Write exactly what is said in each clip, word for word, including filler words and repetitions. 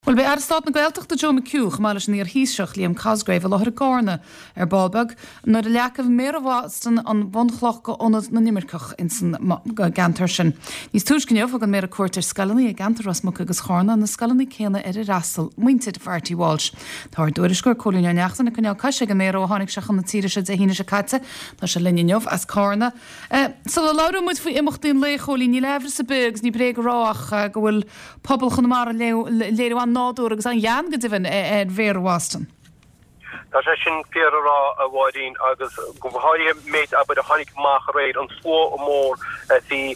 Bhuel, beidh Aire Stáit na Gaeltachta Joe McHugh, chomh maith leis an iar-Thaoiseach Liam Cosgrave, i láthair i gCarna ar ball beag nuair a leagfaidh Méara Bhoston an bhunchloch go Ionad na nImirceach insan gceantar sin. Níos túisce inniu thug an Méara cuairt ar scoileanna i gceantar Ros Muc agus Charna, na scoileanna céanna ar ar fhreastail muintir Mharty Walsh. Tá ár dtuairisceoir Cóilín Ó Neachtain ag coinneáil cois ag an Méara ó tháinig sé chun na tíre seo Dé hAoine seo caite. Tá sé linn inniu as Carna. Uh, Sula labhróidh muid faoi imeachtaí an lae Chóilín níl amhras ar bith agus ní bréag a rá ach uh, go bhfuil pobal Chonamara léiriú an-nádúr agus an-ghean go deimhin ar Mhéara Bhoston. Tá sé sin fíor a rá a Mháirín agus go háirithe méid abair a tháinig amach aréir an slua mór bhí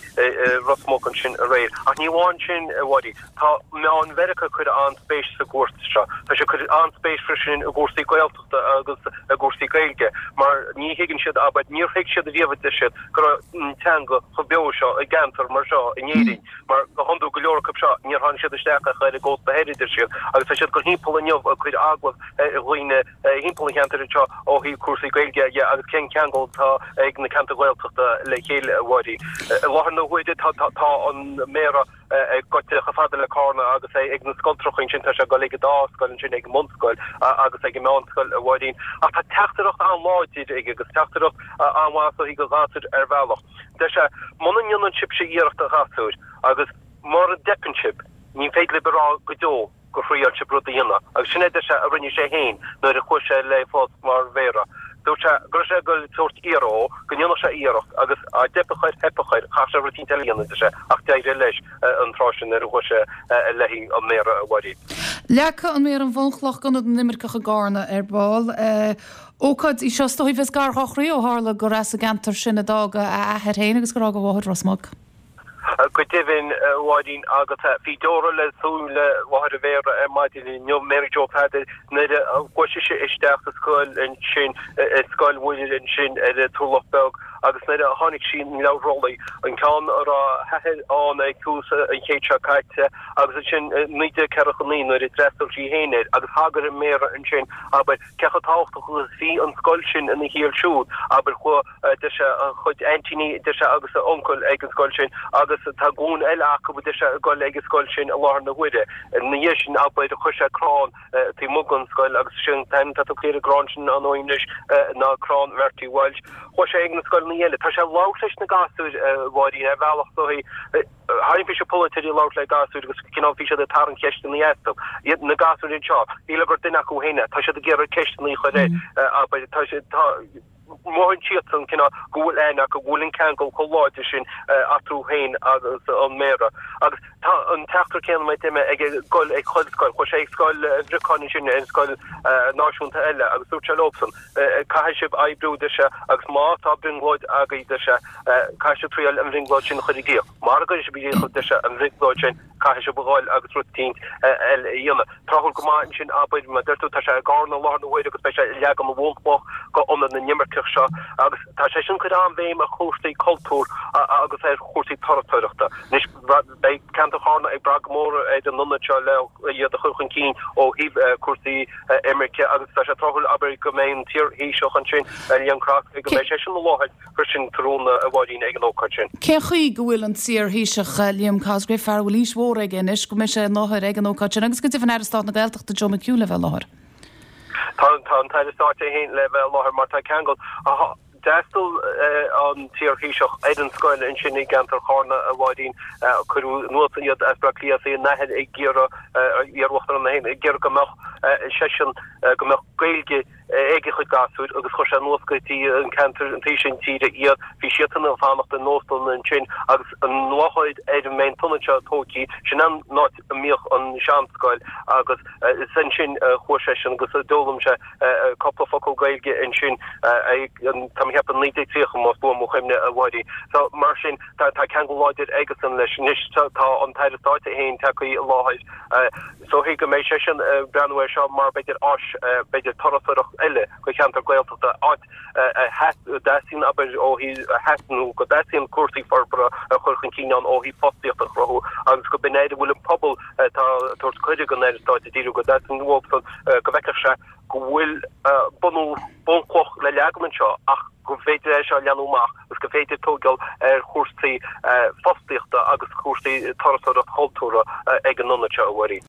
Ros Muc ansin aréir. Ach ní amháin sin a Mháirín. Tá meáin Mheiriceá ag cur an-spéis sa gcuairt seo. Tá sé cur an-spéis freisin i gcúrsaí Gaeltachta agus i gcúrsaí Gaeilge, mar ní thuigeann siad abair níor thuig siad a riamh siad go raibh teanga chomh beo seo i gceantar mar seo in Éirinn. Mar go hiondúil go leor acu seo níor tháinig siad isteach ach ar an gcósta thoir deir siad, agus tá siad go timpeall inniu ag cur agallamh ar dhaoine timpeall an cheantair seo ó thaobh cúrsaí Gaeilge dhe agus cén ceangal atá ag na ceantair Ghaeltachta le chéile a Mháirín. I láthair na huaire tá tá an Méara ag goil chomh fada le Carna agus é ag na scoltracha ansin tá sé ag dul ag an dá scoil ansin ag an mbunscoil agus ag an meánscoil a Mháirín. Ach tá teachtaireacht an-láidir aige agus teachtaireacht an-mhaith do ghasúir ar bhealach. Deir sé muna ndéanann sibhse iarracht a ghasúir agus mura dteipeann sibh ní féidir libh a rá go deo gur thriail sibh rud a dhéanamh. Agus sin é deir sé a rinne sé féin nuair a chuaigh sé le post mar mhéara. Dúirt sé go raibh sé ag tabhairt iarracht go ndéanfadh sé iarracht agus dá dteipfeadh air theipfeadh air chaithfeadh sé rud eile a dhéanamh deir sé ach d'éirigh leis an tráth sin nuair a chuaigh sé le haghaidh an méara a Mháirín. Leagfaidh an Méara an bhunchloch d'Ionad na nImirceach i gCarna ar ball. Ócáid í seo is dóigh bheas gar dá chroí ó tharla gur as an gceantar sin a d'fhág a athair féin agus gur fhág a mháthair Ros Muc. Go deimhin a Mháirín agus bhí deora le súile mháthair an mhéara ar maidin inniu Mary Joe Pheadair nuair a chuaigh sise isteach sa scoil ansin i Scoil Mhuire ansin ar an Turlach Beag agus nuair a tháinig sí an leabhar rollaí an ceann a raibh a hathair ann ag tús an chéid seo caite agus ansin naoi déag ceathracha naoi nuair a d'fhreastail sí féin air agus thagair an méara ansin abair cé chomh tábhachtach agus a bhí an scoil sin ina shaol siúd abair chuaigh deir sé a chuid aintíní deir sé agus a uncail ag an scoil sin agus tá glúin eile acu deir sé ag dul ag an scoil sin i láthair na huaire. Ina dhiaidh sin abair chuir sé crann taobh amuigh den scoil agus sin an t-ainm atá tugtha ar an gcrann sin an anois ná crann Mharty Walsh. Chuaigh sé ag na scoileanna eile. Tá sé ag labhairt leis na gasúir a Mháirín ar bhealach dóigh tharraing bhí sé polaiteoirí ag labhairt le gasúir agus cineál bhí siad ag tarraingt ceisteanna astu. Iad na gasúir anseo, shílfeá gur duine acu féin é, tá siad ag iarraidh ceisteanna a chur air abair tá sé tá mothaíonn siadsan cineál go bhfuil aithne acu, go bhfuil an ceangal chomh láidir sin eatarthu féin agus an Méara. Agus tá an teachtaireacht céanna mar a deir mé ag dul ag chuile scoil. Chuaigh sé ag scoil Bhriocáin ansin, ar scoil náisiúnta eile agus dúirt sé leobsan, caithfidh sibh oibriú, deir sé, agus má tá brionglóid agaibh, deir sé, caithfidh sibh triail an bhrionglóid sin a chur i gcrích. Mara gcuirfidh sibh i gcrích, deir sé, an bhrionglóid sin, caithfidh sibh a dhul agus rud eicínt eile a dhéanamh. Tráthúil go maith ansin, abair, mar a deir tú, tá sé i gCarna i láthair na huaire agus beidh sé ag leagan na bhunchloch go Ionad na nImirceach seo agus tá sé sin ag cur an-bhéim ar chúrsaí cultúir agus ar chúrsaí turasóireachta. Anois, beidh ceantar Charna ag brath go mór ar an ionad seo le iad a chur chun cinn ó thaobh cúrsaí imirce agus tá sé tráthúil, abair, go mbeidh an t-iar-Thaoiseach ansin, Liam Cosgrave, go mbeidh seisean i láthair freisin tráthnóna a Mháirín ag an ócáid sin. Cén chaoi go bhfuil an t-iar-Thaoiseach Liam Cosgrave, fear a bhfuil aois mhór aige anois, go mbeidh sé i láthair ag an ócáid sin agus go deimhin Aire Stáit na Gaeltachta Joe McHugh le bheith i láthair? Tá tá an tAire Stáit é féin le bheith i láthair mar tá ceangal. D'fhreastail an t-iar-Thaoiseach ar an scoil ansin i gceantar Charna a Mháirín. Cuireadh anuas iad as Baile Átha Cliath is a n-athair ag iarraidh, iar-uachtarán é féin, ag iarraidh go mbeadh seisean, go mbeadh Gaeilge ag a chuid gasúir agus chuir sé anuas go dtí an ceantar an taobh sin tíre iad. Bhí siadsan ag fanacht in óstlanna ansin agus an láthair ar a mbeidh an t-ionad seo tógtha, sin an áit a mbíodh an seanscoil agus is ansin a chuaigh seisean agus d'fhoghlaim sé cúpla focal Gaeilge ansin tá mé ag ceapadh naoi déag tríocha más buan mo chuimhne a Mháirín. So mar sin tá ceangal láidir aigesan leis. Anois tá an tAire Stáit é féin tagtha i láthair. Is dóichí go mbeidh seisean ag breathnú air seo mar b'fhéidir áis, b'fhéidir turasóireacht eile do cheantar Gaeltachta, áit a dteastaíonn, abair, ó thaobh, a theastaíonn nó go dteastaíonn cúrsaí forbartha a chur chun cinn ann ó thaobh fostaíocht a chruthú agus go b'in air a bhfuil an pobal atá ag tabhairt cuireadh don Aire Stáit a díriú, go dteastaíonn uathusan go bhfeicfeadh sé go bhfuil bunú, bunchloch le leagan anseo ach go bhféidir é seo a leathnú amach agus go bhféidir tógáil ar chúrsaí fostaíochta agus cúrsaí turasóireacht chultúrtha ag an ionad seo, a Mháirín.